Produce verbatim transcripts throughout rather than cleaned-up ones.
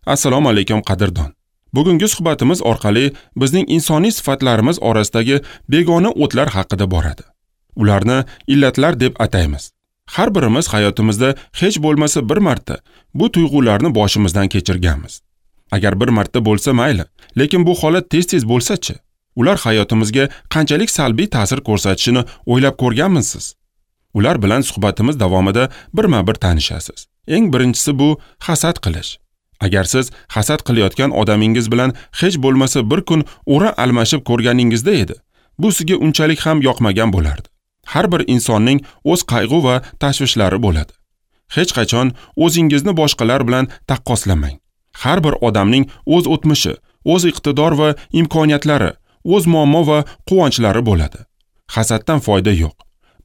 Assalomu alaykum qadrdon. Bugungi suhbatimiz orqali bizning insoniy sifatlarimiz orasidagi begona o'tlar haqida boradi. Ularni illatlar deb ataymiz. Har birimiz hayotimizda hech bo'lmasa bir marta bu tuyg'ularni boshimizdan kechirganmiz. Agar bir marta bo'lsa mayli, lekin bu holat tez-tez bo'lsa-chi? Ular hayotimizga qanchalik salbiy ta'sir ko'rsatishini o'ylab ko'rganmisiz? Ular bilan suhbatimiz davomida birma-bir tanishasiz. Eng birinchisi bu hasad qilish. Agar siz hasad qilayotgan odamingiz bilan hech bo'lmasa bir kun o'rin almashib ko'rganingizda edi, bu sizga unchalik ham yoqmagan bo'lardi. Har bir insonning o'z qayg'u va tashvishlari bo'ladi. Hech qachon o'zingizni boshqalar bilan taqqoslamang. Har bir odamning o'z o'tmishi, o'z iqtidor va imkoniyatlari, o'z muammo va quvonchlari bo'ladi. Hasaddan foyda yo'q.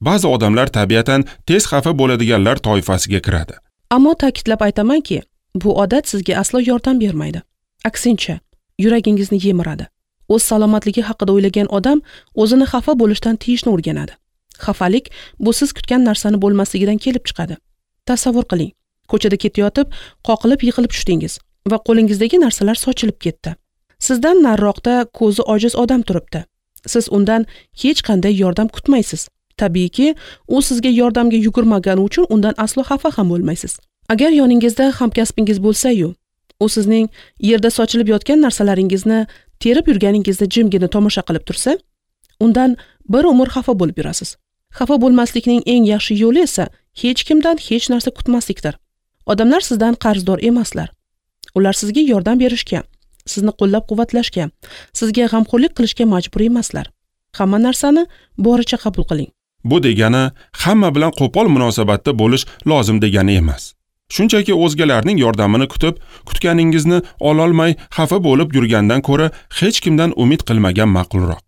Ba'zi odamlar tabiatan tez xafa bo'ladiganlar toifasiga kiradi. Ammo ta'kidlab aytamanki, bu odat sizga aslo yordam bermaydi. Aksincha, yuragingizni yemiradi. O'z salomatligi haqida o'ylagan odam o'zini xafa bo'lishdan tiyishni o'rganadi. Xafalik bu siz kutgan narsani bo'lmasligidan kelib chiqadi. Tasavvur qiling, ko'chada ketayotib, qoqilib yiqilib tushdingiz va qo'lingizdagi narsalar sochilib ketdi. Sizdan nariroqda ko'zi ojiz odam turibdi. Siz undan hech qanday yordam kutmaysiz. Tabiiyki, u sizga yordamga yugurmagani uchun undan aslo xafa ham bo'lmaysiz. Agar yoningizda hamkasbingiz bo'lsa-yu, u sizning yerda sochilib yotgan narsalaringizni terib yurganingizni jimgina tomosha qilib tursa, undan bir umr xafa bo'lib yurasiz. Xafa bo'lmaslikning eng yaxshi yo'li esa hech kimdan hech narsa kutmaslikdir. Odamlar sizdan qarzdor emaslar. Ular sizga yordam berishga, sizni qo'llab-quvvatlashga, sizga g'amxo'rlik qilishga majbur emaslar. Hamma narsani boricha qabul qiling. Bu degani hamma bilan qo'pol munosabatda bo'lish lozim degani emas. Shunchaki o'zgalarning yordamini kutib, kutganingizni ololmay xafa bo'lib yurgandan ko'ra hech kimdan umid qilmagan ma'qulroq.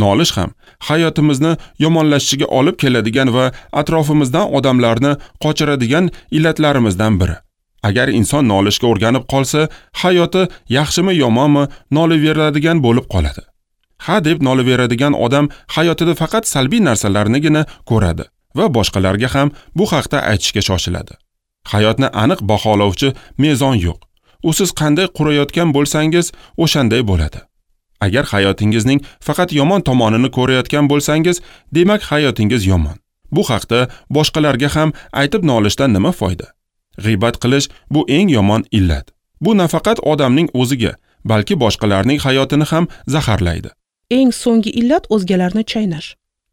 Nolish ham hayotimizni yomonlashishiga olib keladigan va atrofimizdan odamlarni qochiradigan illatlarimizdan biri. Agar inson nolishga o'rganib qolsa, hayoti yaxshimi yomonmi nolaveradigan bo'lib qoladi. Ha deb nolaveradigan odam hayotida faqat salbiy narsalarnigina ko'radi va boshqalarga ham bu haqda aytishga shoshiladi. Hayotni aniq baholovchi mezon yo'q. U siz qanday qurayotgan bo'lsangiz, o'shanday bo'ladi. Agar hayotingizning faqat yomon tomonini ko'rayotgan bo'lsangiz, demak hayotingiz yomon. Bu haqda boshqalarga ham aytib nolishdan nima foyda? G'iybat qilish bu eng yomon illat. Bu nafaqat odamning o'ziga, balki boshqalarning hayotini ham zaharlaydi. Eng so'nggi illat o'zgalarni chaynash.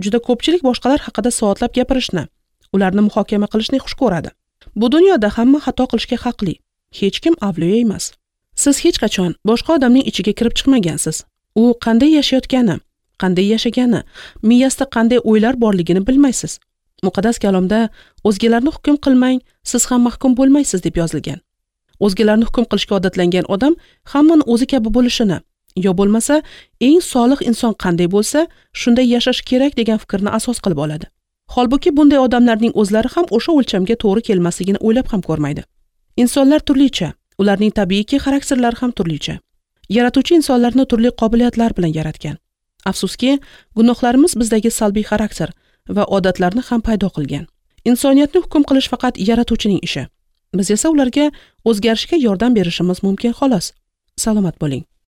Juda ko'pchilik boshqalar haqida soatlab gapirishni, ularni muhokama qilishni xush ko'radi. Bu dunyoda hamma xato qilishga haqli. Hech kim avliyo emas. Siz hech qachon boshqa odamning ichiga kirib chiqmagansiz. U qanday yashayotgani, qanday yashagani, miyasida qanday o'ylar borligini bilmaysiz. Muqaddas kalomda o'zgalarni hukm qilmang, siz ham mahkum bo'lmaysiz deb yozilgan. O'zgalarni hukm qilishga odatlangan odam hammani o'zi kabi bo'lishini, yo bo'lmasa eng solih inson qanday bo'lsa, shunday yashash kerak degan fikrni asos qilib oladi. Holbuki bunday odamlarning o'zlari ham o'sha o'lchamga to'g'ri kelmasligini o'ylab ham ko'rmaydi. Insonlar turlicha, ularning tabiiyki xarakterlari ham turlicha. Yaratuvchi insonlarni turli qobiliyatlar bilan yaratgan. Afsuski, gunohlarimiz bizdagi salbiy xarakter va odatlarni ham paydo qilgan. Insoniyatni hukm qilish faqat yaratuvchining ishi. Biz esa ularga o'zgarishga yordam berishimiz mumkin xolos. Salomat bo'ling.